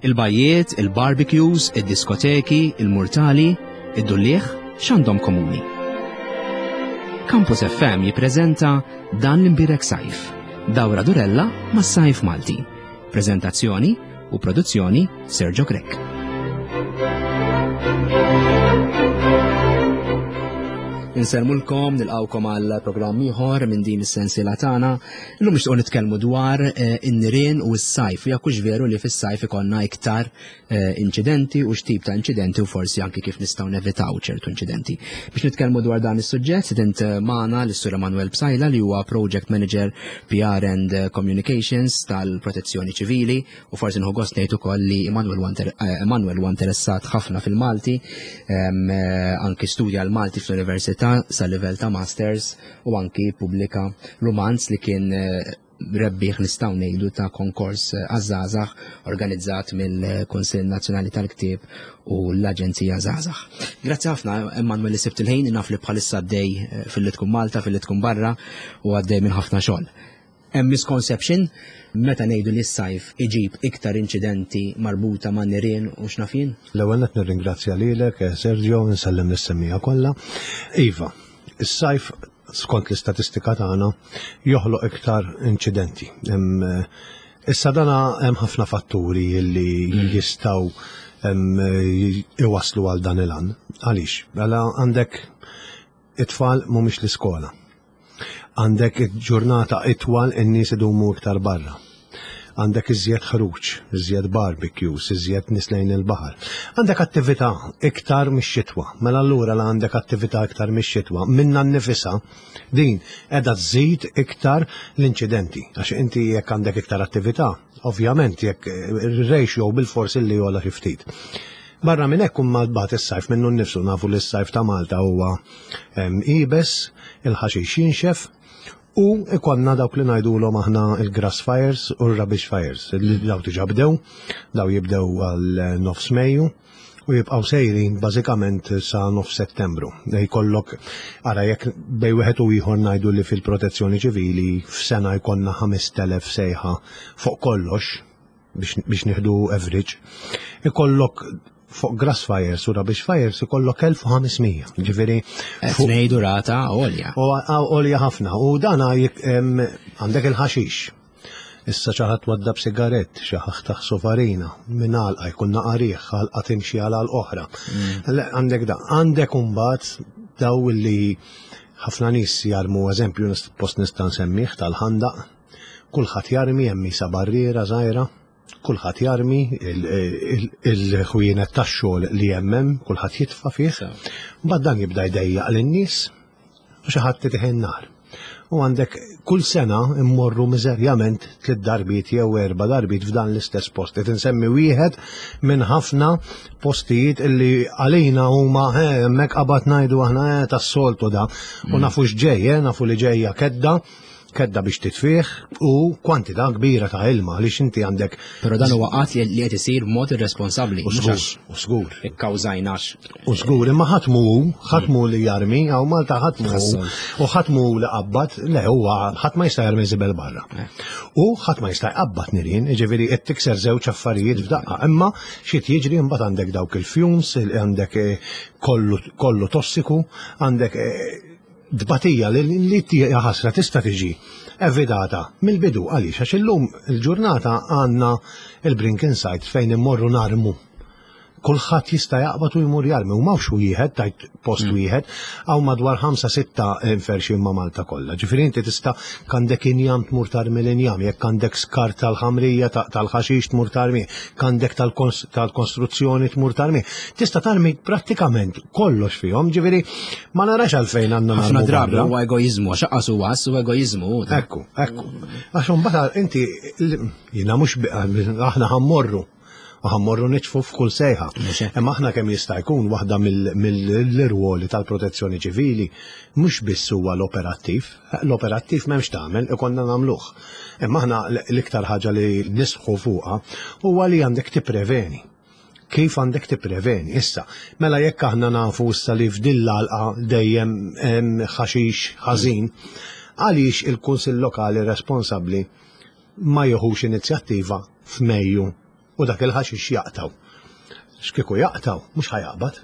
Il-bajjiet, il-barbecues, id-diskoteki, il-murtali, id-dulliegħ, x'għandhom komuni? Campus FM jippreżenta Dan l-Imbierek Sajf, dawra durella mas-sajf Malti. Preżentazzjoni u produzzjoni Sergio Grech. Insellmulkom, nilqawkom għal programm ieħor minn din is-sensiela tagħna. Illum nixtiequ nitkellmu dwar eh, in-nirien u s-sajf. Jekk hux veru li fis-sajf ikollna iktar eh, inċidenti u x'tip ta' inċidenti u forsi anki kif nistgħu nevitaw ċertu inċidenti. Biex nitkellmu dwar dan is-suġġett, sidint eh, magħna l-Sur Emanuel Psaila li huwa Project Manager PR and Communications tal-Protezzjoni Ċivili u forsi nħu gost ngħid ukoll li Emanuel huwa interessat ħafna fil-Malti, anki studja l-Malti fl-Università sa livell ta' Masters u anki pubblika rumanz li kien eh, rebbieħ nistgħu ngħidu ta' konkors eh, għaż-żgħażagħ organizzat mill-Kunsill Nazzjonali tal-Ktieb u l-Aġenzija Żgħażagħ. Grazzi ħafna Emanuel li sibt il-ħin naf li bħalissa għaddej eh, fil-li tkun Malta, fil-li tkun barra u għaddej minn ħafna xogħol. Hemm misconception meta ngħidu li s-sajf iġib iktar inċidenti marbuta ma' nirien u x'naf jien? L-ewwel nett nirringrazzja lilek, eh, Sergio, nsellem lis-semmiegħa kollha. Iva, is-sajf skont l-istatistika tagħna joħloq iktar inċidenti. Eh, issa dana hemm ħafna fatturi li mm. jistgħu iwaslu għal dan il-għan. Għaliex? Għala għandek it-tfal mhumiex l-iskola. Għandek ġurnata itwal in-nies idumu iktar barra. Għandek iżjed ħruġ, iżjed barbecues, iżjed nies lejn il-baħar. Għandek attività iktar mix-xitwa. Mela allura la għandek attività iktar mix-xitwa minna nnifisha din qiegħda tżid iktar l-inċidenti. Għax inti jekk għandek iktar attività, ovvjament jekk ir-ratio bilfors illi jogħla xi ftit. Barra minn hekk imma mbagħad is-sajf minnu nnifsu nafu li s-sajf ta' Malta huwa iebes, il-ħaxix jinxef u ikonna dawk li ngħidulhom aħna il-grass fires u r-rubbish fires. Daw diġà bdew, daw jibdew għal nofs Mejju u jibqgħu sejrin bażikament sa nofs Settembru. Jkollok ara jekk bej wieħed u ieħor ngħidu li fil-protezzjoni ċivili f'sena jkollna 5000 sejħa fuq kollox, biex nieħdu average, ikollok fuq grass fires u rubbish fires ikollok 1500. Ġifieri qed ngħidu rata għolja. Għolja ħafna. U dan għandek il-ħaxix. Issa xi ħadd waddab sigarett, xi ħadd taħsu farina, minn għalqa jkun naqarih, għalqa timxi għal għal oħra. Mm. Għandek da, għandek imbagħad daw li ħafna nies jarmu eżempju post nista' nsemmih tal-ħandaq Kulħadd jarmi hemm isa barriera żgħira, kulħadd jarmi il-ħwienet tax-xogħol li hemm hemm, kulħadd jitfa' fih. Mbagħad dan jibda jdejjaq lin-nies u xi ħadd itih in-nar. U għandek kull sena immorru miżerjament tliet darbiet jew erba' darbiet f'dan l-istess post. Qed insemmi wieħed minn ħafna postijiet illi għalina huma eh, hemmhekk qabad ngħidu aħna eh, tas-soltu da. U mm. nafu x'ġej, eh, nafu li ġejja kedda kedda biex titfih u kwantità kbira ta' ilma għaliex inti għandek. Però dan huwa qatt li qed isir b'mod irresponsabbli. U żgur, u żgur. Ikkawżajnax. U żgur, imma ħadd mhu ħadd mhu li jarmi, hawn Malta ħadd mhu u ħadd mhu li qabbad, le huwa ħadd ma jista' jarmi żibel barra. Eh. U ħadd ma jista' jqabbad nirien, jiġifieri qed tikser żewġ affarijiet f'daqqa, imma xi jiġri imbagħad għandek dawk il-fumes, għandek eh, kollu tossiku, għandek eh, Tbatija li li hija ħasra tista' tiġi evitata mill-bidu għaliex għax illum il-ġurnata għandna il-Brink Insight fejn immorru narmu. Kulħadd jista' jaqbad u jmur jarmi u m'hawnx wieħed tajt post mm. wieħed hawn madwar 5-6 inferxin ma' Malta kollha. Ġifieri inti tista' għandek injam tmur tarmi l-injam, jekk għandek skart tal-ħamrija tal-ħaxix tmur tarmi, għandek tal-kostruzzjoni tmur tarmi. Tista' tarmi prattikament kollox fihom, ġifieri Ma narax għalfejn għandna ħafna drabi huwa egoiżmu, għax aqas huwa u egoiżmu. Ekku, ekku. Għax imbagħad inti jiena mhux aħna ħammorru u ħammorru nitfu f'kull sejħa. Imma aħna kemm jista' jkun waħda mill-irwoli tal-protezzjoni ċivili mhux biss huwa l-operattiv, l-operattiv m'hemmx tagħmel, ikollna nagħmluh. Imma aħna l-iktar ħaġa li nisħu fuqha huwa li għandek tippreveni. Kif għandek tippreveni? Issa, mela jekk aħna nafu issa li f'din l-għalqa dejjem hemm ħaxix ħażin, għaliex il-Kunsill Lokali responsabbli ma jieħux inizjattiva f'Mejju u U dak il-ħaxix jaqtaw. X'kieku jaqtaw, mhux ħajaqbad.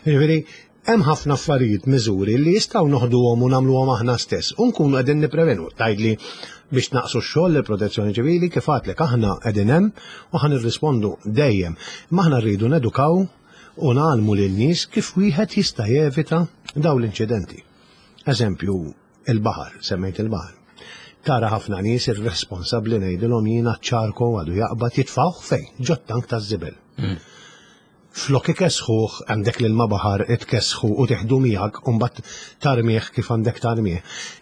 Jiġifieri, hemm ħafna affarijiet, miżuri li jistgħu noħduhom u nagħmluhom aħna stess u nkunu qegħdin nipprevenu. Tgħidli biex naqsu x-xogħol lill-Protezzjoni Ċivili kif għadlek aħna qegħdin hemm u ħa nirrispondu dejjem. Imma aħna rridu nedukaw u ngħallmu lin-nies kif wieħed jista' jevita dawn l-inċidenti. Eżempju, il-baħar, semmejt il-baħar. Tara ħafna nies irresponsabbli ngħidilhom jiena ċ-ċarko għadu jaqbad jitfgħuh fejn? Ġot-tank taż-żibel. Flok ikessħuh għandek l-ilma baħar itkessħu u tieħdu miegħek u mbagħad tarmih kif għandek tarmih.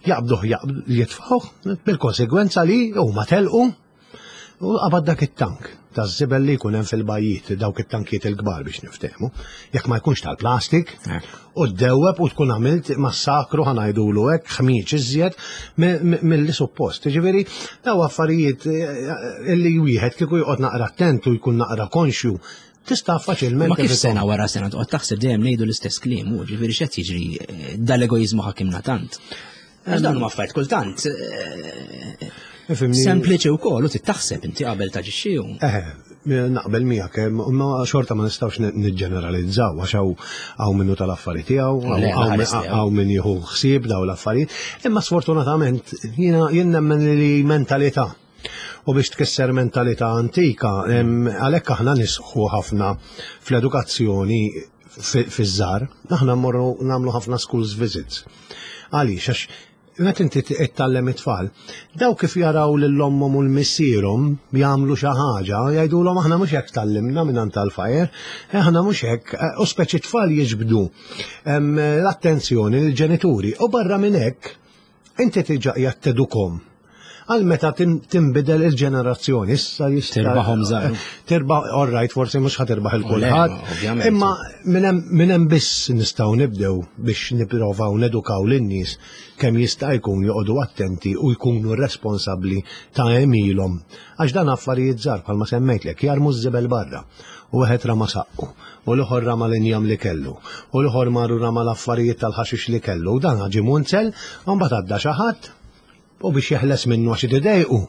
Jaqbduh jitfgħuh bil-konsegwenza li huma telqu u qabad dak it-tank taż-żibel li jkun hemm fil-bajjiet, dawk it-tankiet il-kbar biex niftehmu. Jekk ma jkunx tal-plastik, u ddewweb u tkun għamilt massakru ħa ngħidulu hekk, ħmieġ iżjed milli suppost. Jiġifieri daw affarijiet eh, li wieħed kieku joqgħod naqra attent u jkun naqra konxju tista' faċilment. Ma kif sena wara sena toqgħod taħseb dejjem ngħidu l-istess kliem, u ġifieri x'qed jiġri eh, dal-egoiżmu ħakimna tant. Għax dawn huma affarijiet kultant. Eh, sempliċi wkoll u tittaħseb inti qabel taġixxi. Eh, naqbel miegħek, eh, ma xorta ma nistgħux niġġeneralizzaw għax hawn minnu tal-affari tiegħu, hawn min jieħu ħsieb daw l-affarijiet, imma sfortunatament jiena jien nemmen li mentalità U biex tkisser mentalità antika, għalhekk aħna nisħu ħafna fl-edukazzjoni fiż-żgħar, aħna mmorru nagħmlu ħafna schools visits. Għaliex, għax meta inti tgħallem it-tfal, daw kif jaraw lil ommhom u l-missierhom jagħmlu xi ħaġa, jgħidulhom aħna mhux hekk tgħallimna minn tal-fajer, aħna mhux hekk, u speċi tfal jiġbdu l-attenzjoni lill-ġenituri u barra minn hekk Inti diġà qiegħed tedukhom għal meta tinbidel il-ġenerazzjoni. Issa jista' Tirbaħhom żgħar. Tirbaħ, all right, forsi mhux ħa tirbaħ il kulħadd. Imma minn hemm biss nistgħu nibdew biex nipprovaw nedukaw lin-nies kemm jista' jkun joqogħdu attenti u jkunu responsabbli ta' għemilhom. Għax dan affarijiet żgħar bħalma semmejtlek, jarmu ż-żibel barra. U wieħed rama saqqu. u l-ieħor rama l-injam li kellu, u l-ieħor mar u rama l-affarijiet tal-ħaxix li kellu, u dan ġie munzel, u mbagħad għadda xi ħadd u biex jeħles minnu għax idejqu,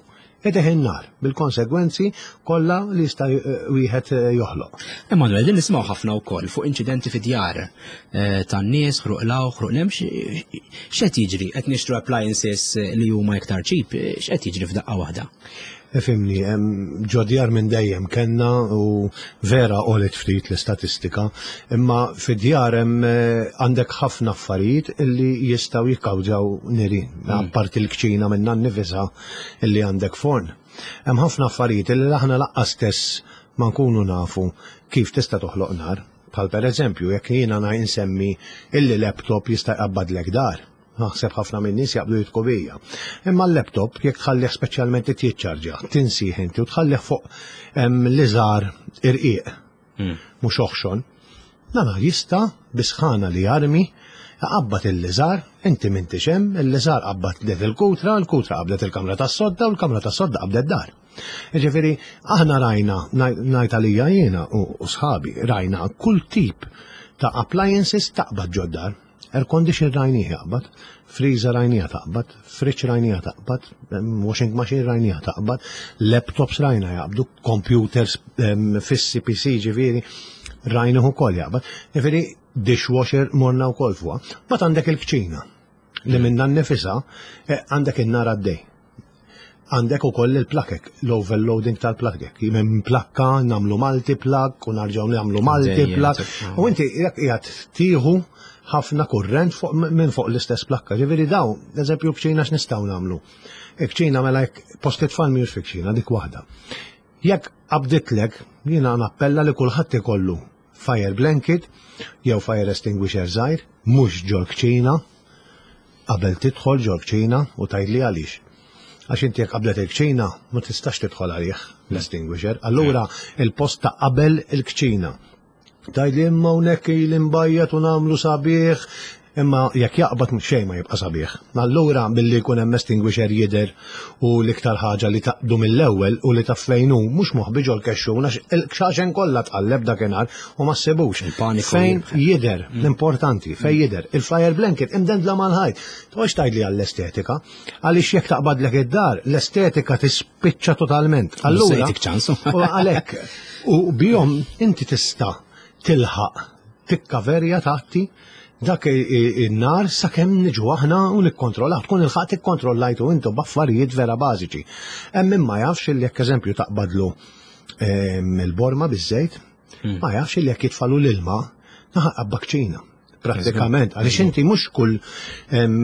ideh in-nar bil-konsegwenzi kollha li jista' wieħed joħloq. Emanuel, din nisimgħu ħafna wkoll fuq inċidenti fi djar eh, tan-nies, ħruq law, ħruq lem, x'qed jiġri? Qed nixtru appliances li huma iktar ċip, x'qed jiġri f'daqqa waħda? Ifimni, ġo djar minn dejjem kellna u vera għolet ftit l-istatistika, imma fid-djar hemm eh, għandek ħafna affarijiet illi jistgħu jikkawġaw nirien, mm. apparti l-kċina minna nnifisha illi għandek forn. Hemm ħafna affarijiet illi aħna laqqa stess ma nkunu nafu kif tista' toħloq nar. Bħal pereżempju, jekk jiena insemmi illi laptop jista' jqabbadlek dar. Naħseb ħafna minn nies jaqblu jitku bija. Imma l-laptop jekk tħallih speċjalment jiċċarġja, tinsih inti u tħallih fuq l-iżgħar irqiq, hmm. mhux oħxon. Nana jista' bisħana li jarmi qabbat il-liżar, inti m'intix hemm, il-liżar qabbat det il-kutra, il-kutra qabdet il-kamra tas-sodda u l-kamra tas-sodda qabdet dar. Ġifieri, aħna rajna, ngħid għalija jiena u sħabi, rajna kull tip ta' appliances taqbad ġoddar. Air condition rajnieh jaqbad, freezer rajniha taqbad, fridge rajniha taqbad, washing machine rajniha taqbad, laptops rajna jaqbdu, computers fissi PC ġifieri rajnieh ukoll jaqbad. Ġifieri dishwasher morna wkoll fuqha. Mbagħad għandek il-kċina li minnha nnifisha eh, għandek in-nar għaddej. Għandek ukoll il-plakek, l-overloading tal-plakek. Minn plakka nagħmlu multi-plug u narġgħu nagħmlu multi-plug. U inti jekk qiegħed tieħu ħafna kurrent minn fuq l-istess plakka. Ġifieri daw, eżempju kċina x'nistgħu nagħmlu. Kċina mela jekk post it-tfal mhijiex fi kċina dik waħda. Jekk qabditlek, jiena nappella li kulħadd ikollu fire blanket jew fire extinguisher żgħir, mhux ġol-kċina, qabel tidħol ġol-kċina u tgħidli għaliex. Għax inti jekk qabdet il-kċina ma tistax tidħol għalih l-extinguisher. Allura il-post ta' qabel il-kċina. Tgħidli imma hawnhekk ili nbajjat u nagħmlu sabiħ. Imma jekk jaqbad xejn ma jibqa' sabiħ. Allura billi jkun hemm extinguisher jidher u l-iktar ħaġa li taqbdu mill-ewwel u li taf fejn hu mhux moħbi ġol-kexxun għax il-kxaxen kollha tqalleb dakinhar u ma ssibux. Fejn jidher, mm. l-importanti, fejn jidher. Il-fire blanket imdendla mal-ħajt. Tgħodx tgħidli għall-estetika, għaliex jekk taqbadlek id-dar, l-estetika tispiċċa totalment. Allura, u għalhekk, u bihom inti tista' tilħaq tikkaverja tagħti dak in-nar sakemm niġu aħna u nikkontrollaw, tkun il-ħadd ikkontrollajtu intu b'affarijiet vera bażiċi. Hemm min ma jafx li jekk eżempju taqbadlu ehm, il-borma biż-żejt, hmm. ma jafx li jekk jitfalu l-ilma naħaq bakċina. Pratikament, għaliex inti mhux kull ehm,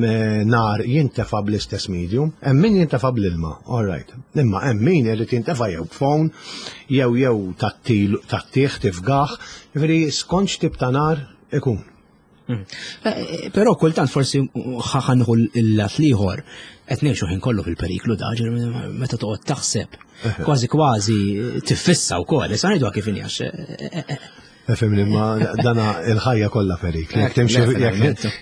nar jintefa bl-istess medium, hemm min jintefa bl-ilma, all right. Imma hemm min irid jintefa jew b'phone, jew jew tat-tieħ tifgaħ, jiġifieri skont x'tip ta' nar ikun. Mm. Eh, eh, però kultant forsi ħanħu l-lat liħor, qed ngħixu ħin kollu fil-periklu da, meta toqgħod taħseb, kważi kważi tiffissa wkoll, issa ngħidu kif inhi għax eh, Fimni, ma dana il-ħajja kollha perikli. Jekk timxi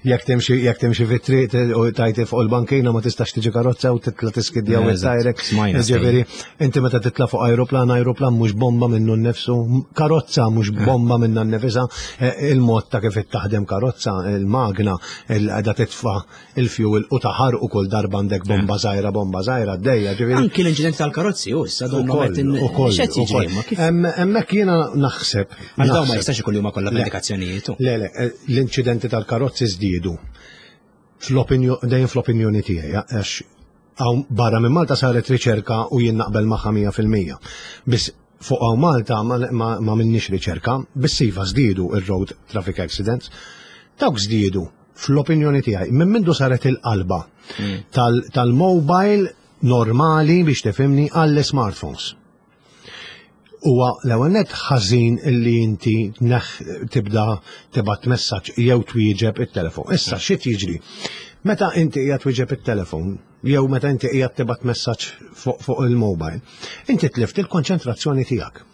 jekk timxi jekk timxi fit-triq u tajti fuq il-bankina ma tistax tiġi karozza u titla tiskidja u tajrek. Ġifieri, inti meta titla fuq ajruplan, ajruplan mhux bomba minnu nnifsu, karozza mhux bomba minna nnifisha, eh, il-mod ta' kif taħdem karozza, il-magna, il-qeda titfa' il-fuel u taħar u kull darba għandek bomba żgħira, bomba żgħira għaddejja. Ġifieri. Anki l-inċident tal-karozzi u issa donnu qed x'qed jiġri ma kif. Hemmhekk jiena naħseb. Għax dawn ma jistax ikun li huma kollha indikazzjonijiet. Le, le, eh, l-inċidenti tal-karozzi żdiedu. Dejjem fl-opinjoni tiegħi, għax hawn barra minn Malta saret riċerka u jien naqbel magħha 100%. Biss fuq hawn Malta ma minnix riċerka, biss iva żdiedu ir-road traffic accidents. Dawk żdiedu fl-opinjoni tiegħi, minn mindu saret il-qalba hmm. tal-mobile normali biex tifhimni għall-smartphones. Huwa l-ewwel net ħażin illi inti neħ tibda tibgħat messaġġ jew twieġeb it-telefon. Issa xi jiġri? Meta inti qiegħed twieġeb it-telefon jew meta inti qiegħed tibgħat messaġġ fuq fuq il-mobile, inti tlift il-konċentrazzjoni tiegħek.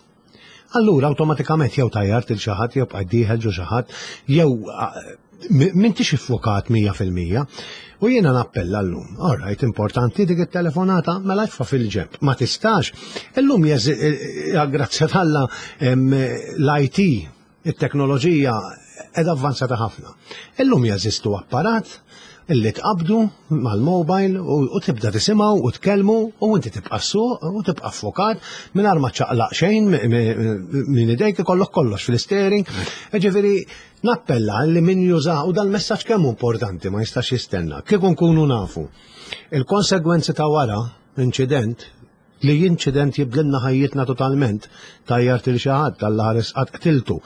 Allura awtomatikament jew tajjart il xi ħadd jew bqajt dieħel ġo xi ħadd jew m'intix iffukat 100%. U jiena nappella llum. All right, importanti dik it-telefonata, mela itfa' fil-ġenb. Ma tistax. Illum eh, eh, grazzja t'Alla l-IT, it-teknoloġija qiegħda avvanzata ħafna. Illum jeżistu apparat illi tqabdu mal-mobile u tibda tisimgħu u tkellmu u inti tibqa' ssuq u tibqa' ffokat mingħajr ma ċaqlaq xejn minn idejk ikollok kollox fl-istering. Ġifieri nappella li min juża u dal-messaġġ kemm importanti ma jistax jistenna. Kieku nkunu nafu il-konsegwenzi ta' wara inċident li inċident jibdilna ħajjitna totalment, tajjart il xi ħadd, Alla ħares qatt qtiltu,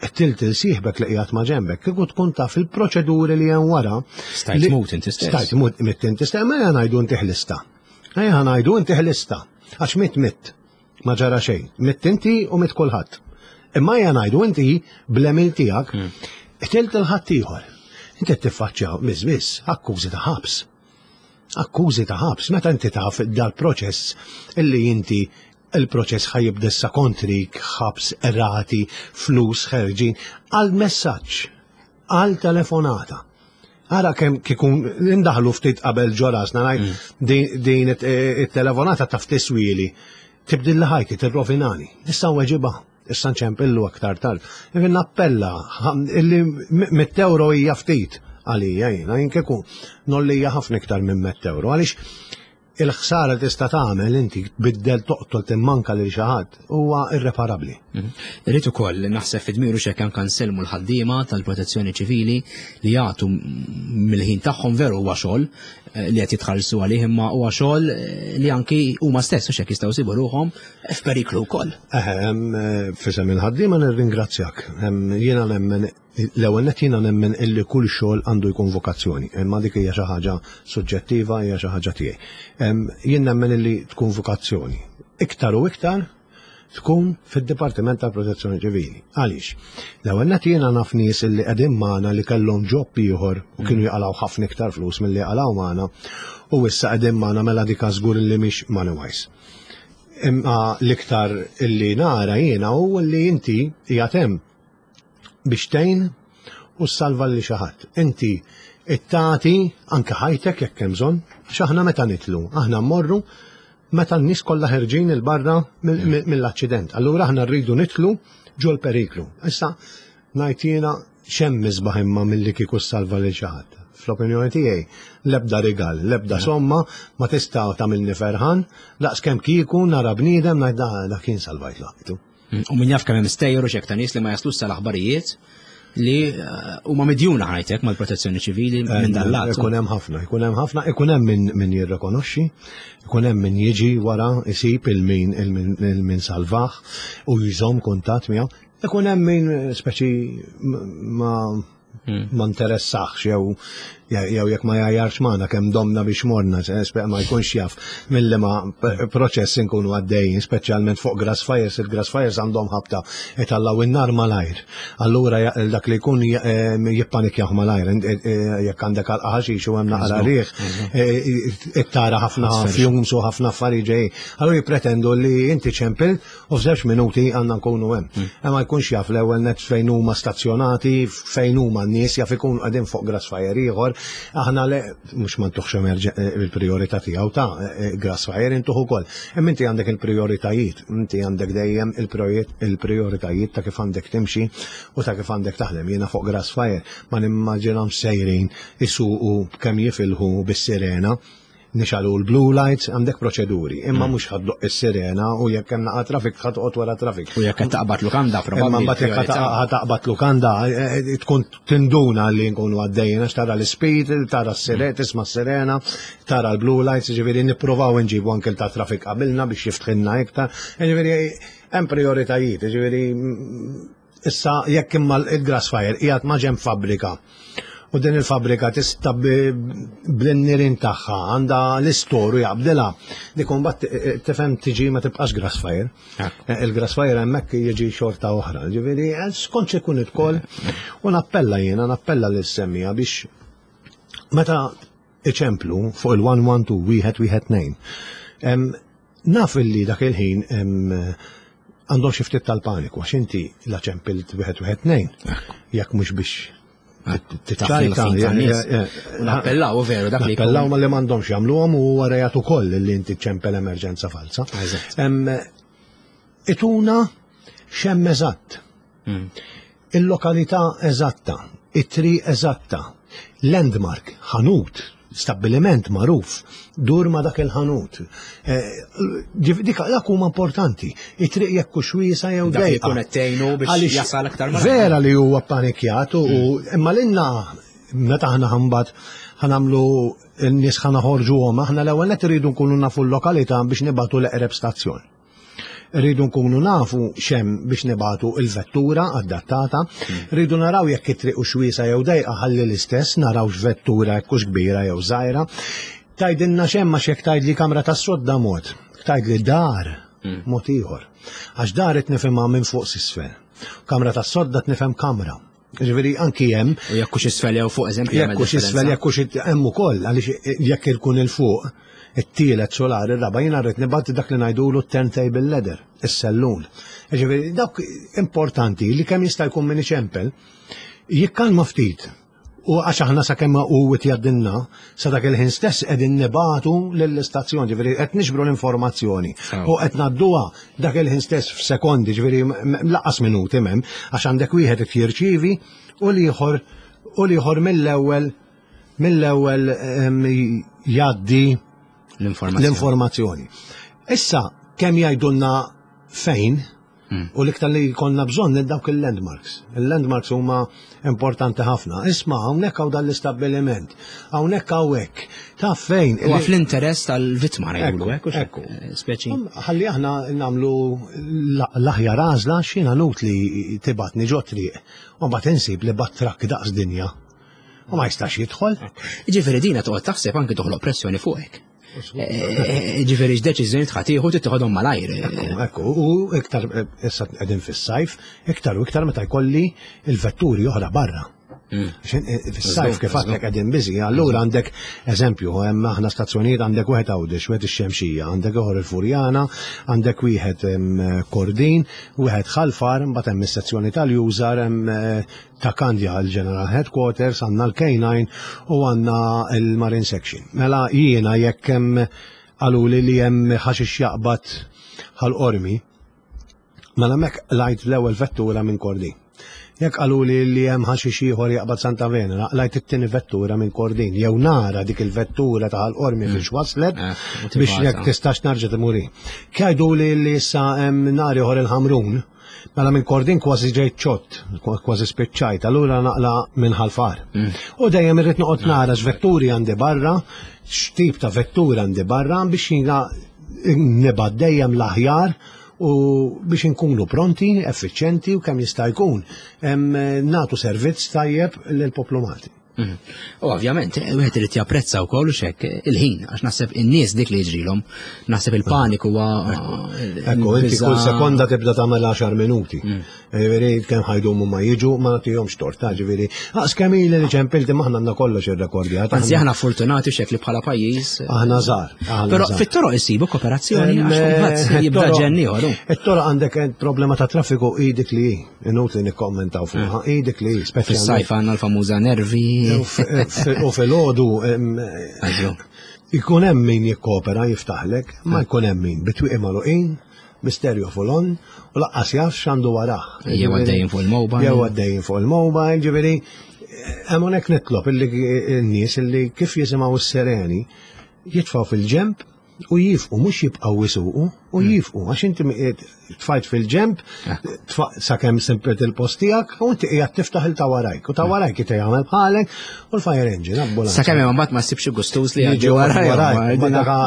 qtilt il sieħbek li qiegħed ma' ġenbek, kieku tkun taf il-proċeduri li hemm wara. Stajt tmut inti stess. Stajt tmut inti stess, ma ejja ngħidu inti ħlista. Ejja ngħidu inti ħlista, għax mitt mitt, ma ġara xejn. Mitt inti u mitt kulħadd. Imma ejja ngħidu inti bl-għemil tiegħek hmm. qtilt il-ħaddieħor. Inti tiffaċċja biss biss akkużi ta' ħabs. Akkużi ta' ħabs, meta inti taf dal-proċess illi inti il-proċess ħa jibda issa kontrik, ħabs, rati, flus ħerġin, għal messaġġ, għal telefonata. Ara kemm kikun indaħlu ftit qabel ġo rasna ngħid mm. din it-telefonata taf tiswili. Tibdilli ħajti, tirrovinani. Issa weġibha. Issa nċempillu aktar tard. Jien nappella illi mitt euro hija ftit għalija jiena, jien kieku nollija ħafna iktar minn mitt euro. Għaliex il-ħsara li tista' tagħmel inti tbiddel toqtol timmanka lil xi ħadd huwa irreparabbli. Mhm. Irrid ukoll naħseb fi dmiru x'hekk anke nsellmu l-ħaddiema tal-protezzjoni ċivili li jagħtu mill-ħin tagħhom veru huwa xogħol eh, li qed jitħallsu għalih imma huwa xogħol eh, li anki huma stess u x'hekk jistgħu jsibu ruħhom F'periklu wkoll. Eħe, eh, fisem il-ħaddiema nirringrazzjak. Jiena nemmen l-ewwel nett jiena nemmen illi kull xogħol għandu jkun vokazzjoni, imma dik hija xi ħaġa suġġettiva, hija xi ħaġa tiegħi. Jien nemmen illi tkun vokazzjoni. Iktar u iktar tkun fid-Dipartiment tal-Protezzjoni Ċivili. Għaliex? L-ewwel nett jiena naf nies illi qegħdin magħna li kellhom job ieħor u kienu jaqalgħu ħafna iktar flus milli jaqalgħu magħna u issa qegħdin magħna mela dik żgur illi mhix money wise. Imma l-iktar illi nara jiena hu li inti qiegħed hemm biex tgħin u ssalva lil xi ħadd. Inti tagħti anke ħajtek jekk hemm bżonn, għax aħna meta nitlu, aħna mmorru meta n-nies kollha ħerġin 'il barra mill-aċċident. Allura aħna rridu nitlu ġol periklu. Issa ngħid jiena x'hemm isbaħ imma milli kieku ssalva lil xi ħadd. Fl-opinjoni tiegħi l-ebda rigal, l-ebda somma ma tista' tagħmilni ferħan daqskemm kieku nara bniedem ngħid dak kien salvajt ħajtu. U min jaf kemm hemm stejjer u xek ta' nies li ma jaslux sal-aħbarijiet li eh, huma midjuna ħajtek mal-protezzjoni ċivili eh, minn dan lat. Ikun hemm ħafna, ikun hemm ħafna, ikun hemm min, min jirrikonoxxi, ikun hemm min jiġi wara isib il-min il-min salvah u jżomm kuntatt miegħu. Ikun hemm min speċi ma Hmm. ma interessax jew jew jekk ma jgħajjarx magħna kemm domna biex morna, ma jkunx jaf milli ma proċess inkunu għaddejjin, speċjalment fuq grass fires, il-grass fires għandhom ħabta itallaw in-nar malajr. Allura dak li jkun jippanikjaw malajr, eh, eh, jekk għandek għal ħaxix u hemm naqra riħ, eh, tara ħafna fumes u ħafna affarijiet ġejjin. Allura jippretendu li inti ċempil U f'żewġ minuti għandna nkunu hemm. Hmm. Imma jkunx jaf l-ewwel net fejn huma stazzjonati, fejn huma n-nies jaf ikun qegħdin fuq grass fire ieħor. Aħna le mhux ma ntuħx eh, il-prijorità tiegħu ta' eh, eh, grass fire intuħ ukoll. Imma inti għandek il-prijoritajiet, inti għandek dejjem il-prijoritajiet ta' kif għandek timxi u ta' kif għandek taħdem. Jiena fuq grass fire ma nimmaġinhomx sejrin isuqu kemm jifilħu bis-sirena nixalu l-blue lights, għandek proċeduri, imma mm. mhux ħaddoq is-sirena u jekk hemm naqa' trafik ħadqot wara trafik. U jekk qed taqbad lukanda probabbli. Imma mbagħad jekk ħataqbad lukanda eh, eh, tkun tinduna li nkunu għaddejjin għax tara l-speed, tara s-sirena, mm. tisma' s-sirena, tara l-blue lights, ġifieri nippruvaw nġibu anke ta' trafik qabilna biex jiftħilna iktar. Ġifieri hemm prioritajiet, ġifieri mm, Issa jekk imma il-grass fire qiegħed ma' ġenb fabbrika u din il-fabbrika tista' bl-nirien tagħha għandha l-istoru jaqbdilha, dik imbagħad eh, eh, tifhem tiġi ma tibqax grass fire. Eh, il-grass fire hemmhekk jiġi xorta oħra. Ġifieri skont ikun ukoll u nappella jiena nappella lil semmija biex meta iċemplu fuq il-112 wieħed wieħed nejn. Naf illi dak il-ħin għandhom xi ftit tal-paniku għax inti la ċempilt wieħed wieħed tnejn. Jekk mhux biex tiċċajta. Nappellaw veru dak li. Nappellaw ma li m'għandhomx jagħmluhom u huwa rejat ukoll li inti ċempel emerġenza falsa. Ituna xemm eżatt. Hmm. Il-lokalità eżatta, it-triq eżatta, landmark, ħanut, stabbiliment magħruf, dur ma' dak il-ħanut. Eh, dik dak huma importanti. It-triq jekk hux wiesa jew dejqa. Jkun qed tgħinu biex jasal aktar Vera li huwa panikjat u hmm. imma lilna meta aħna ħambat ħanamlu n-nies ħanaħorġuhom, aħna l-ewwel qed iridu nkunu nafu l-lokalità biex nibatu l-eqreb stazzjon. Rridu nkunu nafu xem biex nibatu il-vettura adattata, rridu naraw jekk it-triq hux wiesa jew dejqa ħalli l-istess naraw x'vettura jekk hux kbira jew żgħira. Tgħidilna x'hemm għax jekk tgħidli kamra tas-sodda mod, tgħidli dar hmm. mod ieħor. Għax dar qed nifhimha minn fuq s'isfel. Kamra tas-sodda tnifhem kamra. Ġifieri anki hemm. U jekk hux isfel jew fuq eżempju. Jekk hux isfel jekk hux hemm ukoll għaliex jekk ikun il fuq it-tielet solar ir-raba' jiena rrid nibgħat dak li ngħidulu turntable ladder, is-sellun. Ġifieri dawk importanti li kemm jista' jkun min iċempel jikkalma ftit u għax aħna sakemm u jgħaddilna sa dak il-ħin stess qegħdin nibatu lill-istazzjon, ġifieri qed niġbru l-informazzjoni u qed ngħadduha dak il-ħin stess f'sekondi, ġifieri laqas minuti m'hemm, għax għandek wieħed qed jirċievi u l-ieħor u l-ieħor mill-ewwel mill-ewwel jgħaddi l-informazzjoni. Issa kemm jgħidulna fejn Hmm. U l-iktar li jkollna bżonn dawk il-landmarks. Il-landmarks huma importanti ħafna. Isma' hawnhekk hawn dan l-istabbiliment, hawnhekk hawnhekk. Taf fejn. Huwa fl-interess tal-vittma ngħidulu hekk. Ekku. Eh, speċi. Ħalli aħna nagħmlu l-aħjar għażla x'jiena nut li tibatni ġo triq u mbagħad insib li bat trakk daqs dinja. U ma jistax jidħol. Ġifieri dina toqgħod taħseb anke toħloq pressjoni fuqek. Eh, eh, ġifieri x'deċiżjoni tħatiħu titħodhom malajr. Ekku, u iktar issa qegħdin fis-sajf, iktar u iktar meta jkolli il-vetturi oħra barra. Eh, fis-sajf kif għadlek qegħdin biżi, allura għandek eżempju, hemm aħna stazzjonijiet għandek wieħed Għawdex, wieħed ix-Xemxija, għandek ieħor il-Furjana, għandek wieħed Kordin, wieħed Ħalfar, mbagħad hemm is-sezzjoni tal-user, hemm eh, ta' Kandja l-General Headquarters, għandna l-K9 u għandna l-Marine Section. Mela jiena jekk hemm qaluli li hemm ħaxix jaqbad ħal-qormi, Mela mek lajt l-ewwel vettura minn Kordin. Jekk qaluli li hemm ħaxix ieħor jaqbad Santa Venera, lajt it-tieni vettura minn Kordin. Jew nara dik il-vettura ta' ħal-qormi mm. biex waslet eh, biex jekk tistax narġa' timuri. Kjajduli li issa hemm nar ieħor il-Ħamrun, mela minn Kordin kważi ġejt ċott, kważi spiċċajt, allura naqla minn ħalfar. Mm. U dejjem irrid noqgħod nara x'vetturi għandi barra, x'tip ta' vettura għandi barra biex jiena nibgħat dejjem l-aħjar u biex inkunu pronti, effiċjenti u kemm jista' jkun nagħtu servizz tajjeb lill-poplu Malti. Mhm. U ovvjament, wieħed irid japprezza wkoll u xek il-ħin, għax naħseb in-nies dik li jiġrilhom, naħseb il-paniku huwa. Ekku, inti kull sekonda tibda tagħmel 10 minuti. Mm. Ġifieri kemm ħajdumu ma jiġu ma nagħtihomx torta, ġifieri. Aqs kemm ili li ċempilti maħna għandna kollox irrekordjat. Anzi aħna fortunati xek li bħala pajjiż. Aħna żgħar. Però fit-toroq isibu kooperazzjoni għax eh, jibda ġenni ieħor. It-toroq għandek eh, problema ta' traffiku idik li hi, inutli nikkommentaw fuqha, eh. idik li hi, speċjalment. Fis-sajf għandna l-famuża nervi. U fil-għodu ikun hemm min jikkopera jiftaħlek, ma jkun hemm min bitwieqi magħluqin Misterju full on u laqqas jaf x'għandu warah. Jew għaddejjin fuq il-mobile. Jew għaddejjin fuq il-mobile, ġifieri hemm hawnhekk nitlob illi n-nies illi kif jisimgħu s-sereni jitfgħu fil-ġemp u jifqu, mhux jibqgħu jisuqu, u hmm. jifqu, għax inti tfajt fil-ġemp, eh. sakemm simplet il-post tiegħek, u inti qiegħed tiftaħ il ta' warajk, u ta' hmm. warajk jita jagħmel bħalek, u l-fire engine, ambulanza. Sakemm imma mbagħad ma ssibx gustuż li jgħaddi warajk.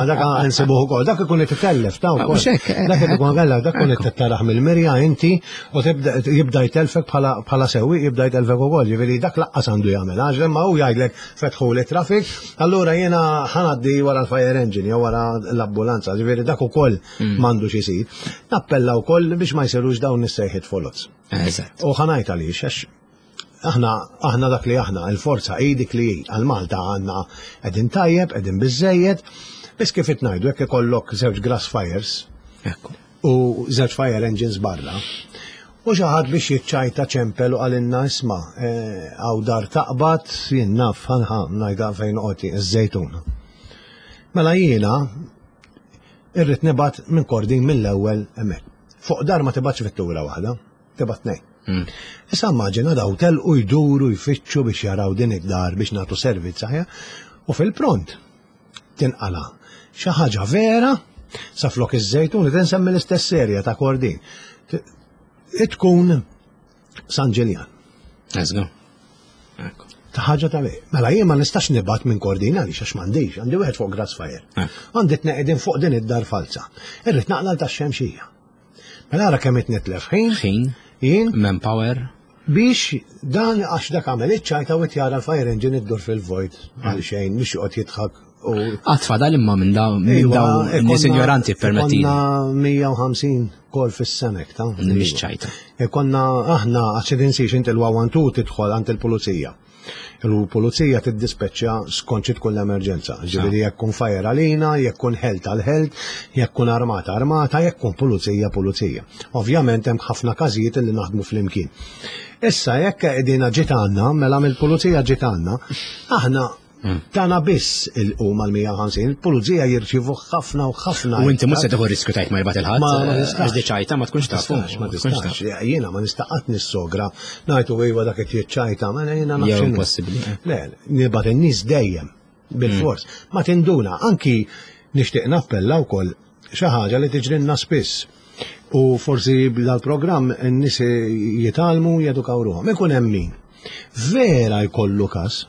Dak nsibuh ukoll, dak ikun qed itellef ta' wkoll. Eh, dak ikun eh, kellek, dak ikun qed taraħ mill-mirja inti u tibda jibda jtelfek bħala sewwi jibda jtelfek ukoll, ġifieri dak laqqas għandu jagħmel, għax imma hu jgħidlek fetħu li traffic, allura jiena ħanaddi wara l-fire engine jew wara l-ambulanza, ġifieri dak ukoll mm. m'għandux isir. Nappella wkoll biex ma jsirux dawn is-sejħiet folots. Eżatt. U ħanajt għaliex għax aħna aħna dak li aħna, il-forza hi dik li hi. Għal Malta għandna qegħdin tajjeb, qegħdin biżejjed, biss kif qed ngħidu jekk ikollok żewġ grass fires u żewġ fire engines barra, u xi ħadd biex jiċċajta ċempel u qalilna isma' eh, hawn dar taqbad, jien naf ħanħa ngħidha fejn noqgħod iż-żejtun. Mela jiena irrid nibgħat minn Kordin mill-ewwel hemmhekk. Fuq dar ma tibgħatx vettura waħda. Tibgħat tnejn. Hmm. Issa immaġina daw telqu jduru jfittxu biex jaraw din id-dar biex nagħtu servizz aħjar u fil-pront tinqala xi ħaġa vera sa flok iż-żejtun li tinsemmi l-istess serja ta' Kordin. Tkun San Ġiljan. Let's go. Ta' ħaġa ta' Mela jien ma nistax nibgħat minn Kordin għaliex għax m'għandix, għandi wieħed fuq Grassfire. Eh. Għandi tneqedin fuq din id-dar falza. Irrid naqla ta' xemxija. Mela ara kemm qed nitlef ħin. Ħin. Jien. Manpower. Biex dan għax dak għamel iċ-ċajta u jara l-fire engine iddur fil-vojt għal xejn biex joqgħod jidħak u. Qatt fadal imma minn dawn minn dawn nies ignoranti permetti. Konna 150 kol fis-senek ta' Mhix ċajta. Konna aħna għax tinsiex inti l-wawantu tidħol għand il-pulizija. Il-pulizija tiddispeċċja skont xi tkun l-emerġenza. Ġifieri jekk kun fire għalina, jekk kun health għal health, jekk kun armata armata, jekk kun pulizija pulizija. Ovvjament hemm ħafna każijiet li naħdmu flimkien. Issa jekk qegħdin ġiet għandna, mela mill-pulizija ġiet għandna, aħna Tana biss il-huma l-150, il-pulizija jirċivu ħafna u ħafna. U inti mhux se tieħu riskju tajt ma jibgħat il-ħadd. Ma nistax. Għax ċajta ma tkunx tafu. Ma tistax. Jiena ma nista' qatt nissogra ngħidu iva dak qed jiċċajta, ma jiena naf. Jew impossibbli. Le, nibgħat in-nies dejjem bil-fors. Mm. Ma tinduna, anki nixtieq nappella wkoll xi ħaġa li tiġrinna spiss. U forsi dal-programm n-nies jitgħallmu jedukaw ruħhom. Ikun hemm min. Vera jkollu każ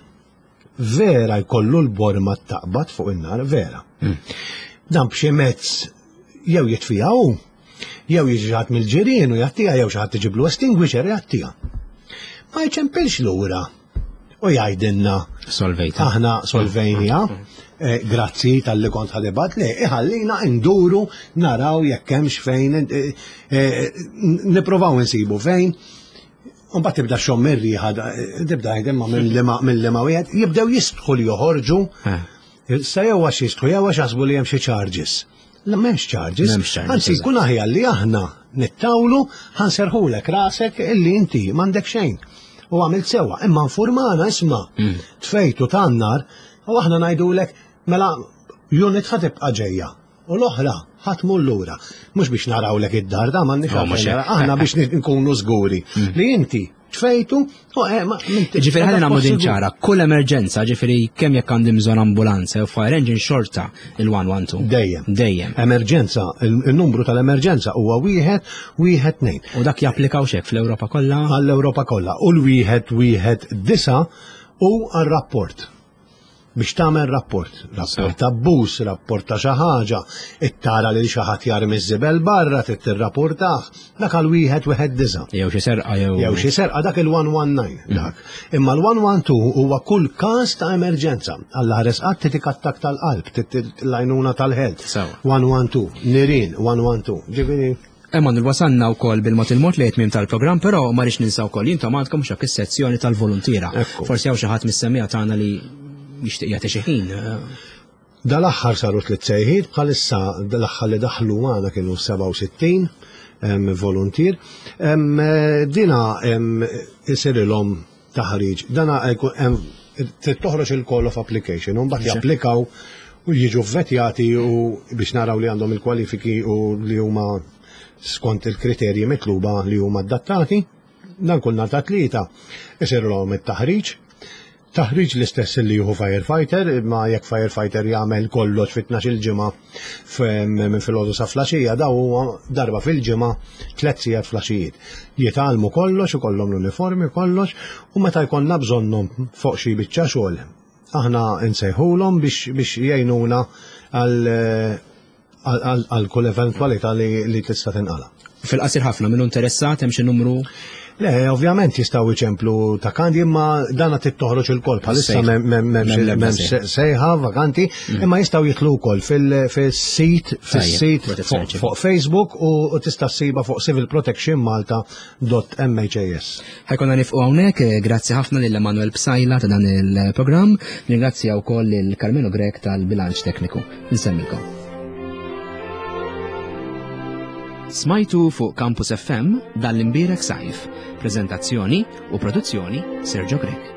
Vera jkollu l-borma taqbad fuq in-nar, vera. Hmm. Dan b'xi mezz jew jitfija hu, jew jiġi ħadd mill-ġirien u jagħtiha jew xi ħadd iġiblu extinguisher jagħtiha. Ma jċempilx lura u jgħidilna solvejta. Aħna solvejnija, eh, grazzi tal-li kont ħadibat li iħallina nduru naraw jekk hemmx fejn eh, eh, nippruvaw insibu fejn. Mbagħad tibda xommi r-riħa, tibda imma mill-lima wieħed, jibdew jistħu li joħorġu. Eh. Sa jew għax jistħu jew għax jaħsbu li hemm xi charges. La m'hemmx charges. Anzi jkun aħjar li aħna nittawlu ħanserħulek rasek illi inti m'għandek xejn. U għamilt sewwa, imma nfurmana isma' mm. tfejtu tan-nar u aħna ngħidulek mela unit ħa tibqa' ġejja. U l-oħra ħa tmur lura. Mhux biex narawlek id-dar da m'għandniex oh, għalfejn aħna biex nkunu żguri mm. li inti tfejtu u eh, Ġifieri ħalli nagħmlu din ċara, kull emerġenza, ġifieri kemm jekk għandi bżonn ambulanza jew fire engine xorta il-112. Dejjem. Dejjem. Emerġenza, il-numru tal-emerġenza huwa wieħed wieħed tnejn. U dak japplikaw xek fl-Ewropa kollha? Għall-Ewropa kollha. U l-wieħed wieħed disa' u għar-rapport. biex tagħmel rapport, rapport ta' abbuż, rapport ta' xi ħaġa, ittara lil xi ħadd jarmi ż-żibel barra trid tirrapportah, dak għal wieħed wieħed disa'. Jew xi serqa jew. Jew xi serqa dak il-119 mm. dak. Imma l-112 huwa kull każ ta' emerġenza. Alla ħares qatt titik attak tal-qalb, l-għajnuna tal-health. 112, nirien 112. Ġifieri Emanuel, wasalna wkoll bil-mod il-mod li tmiem tal-programm, però ma rridx ninsa wkoll intom għandkom x'hekk is-sezzjoni tal-voluntiera. Forsi hawn xi ħadd mis-semmiegħa tagħna li jixtieq jagħti xi ħin. Dal-aħħar saru tliet sejħiet, bħalissa l-aħħar li daħlu magħna kienu 67 voluntier. Dina isirilhom taħriġ. Dana trid toħroġ il-call of application, u mbagħad japplikaw u jiġu vvetjati u biex naraw li għandhom il-kwalifiki u li huma skont il-kriterji mitluba li huma adattati. Dan kull nhar ta' tlieta isirlhom it-taħriġ. Taħriġ l-istess li jieħu firefighter, imma jekk firefighter jagħmel kollox fit il ġimgħa minn filgħodu sa flaxija, daw huwa darba fil-ġimgħa tliet sigħat flaxijiet. Jitgħallmu kollox, ikollhom l-uniformi kollox, u meta jkollna bżonnhom fuq xi biċċa xogħol, aħna nsejħulhom biex biex jgħinuna għal għal kull eventwalità li tista' tinqala. Fil-qasir ħafna minnu interessat hemm xi numru Le, ovvjament jistgħu jċemplu ta' kandi imma dana trid toħroġ il-kol bħalissa m'hemmx sejħa vakanti, mm. imma jistgħu jitlu wkoll fil-sit fis-sit fuq Facebook u tista' ssiba fuq civilprotectionmalta.mhas. Ħajkonna nifqu hawnhekk, eh, grazzi ħafna lil Emanuel Psajla ta' dan il-programm, ringrazzja wkoll lil Carmelo Grek tal-bilanċ tekniku. Nsemmilkom. Smajtu fuq Campus FM dan l-imbierek sajf. Prezentazzjoni u produzzjoni Sergio Grek.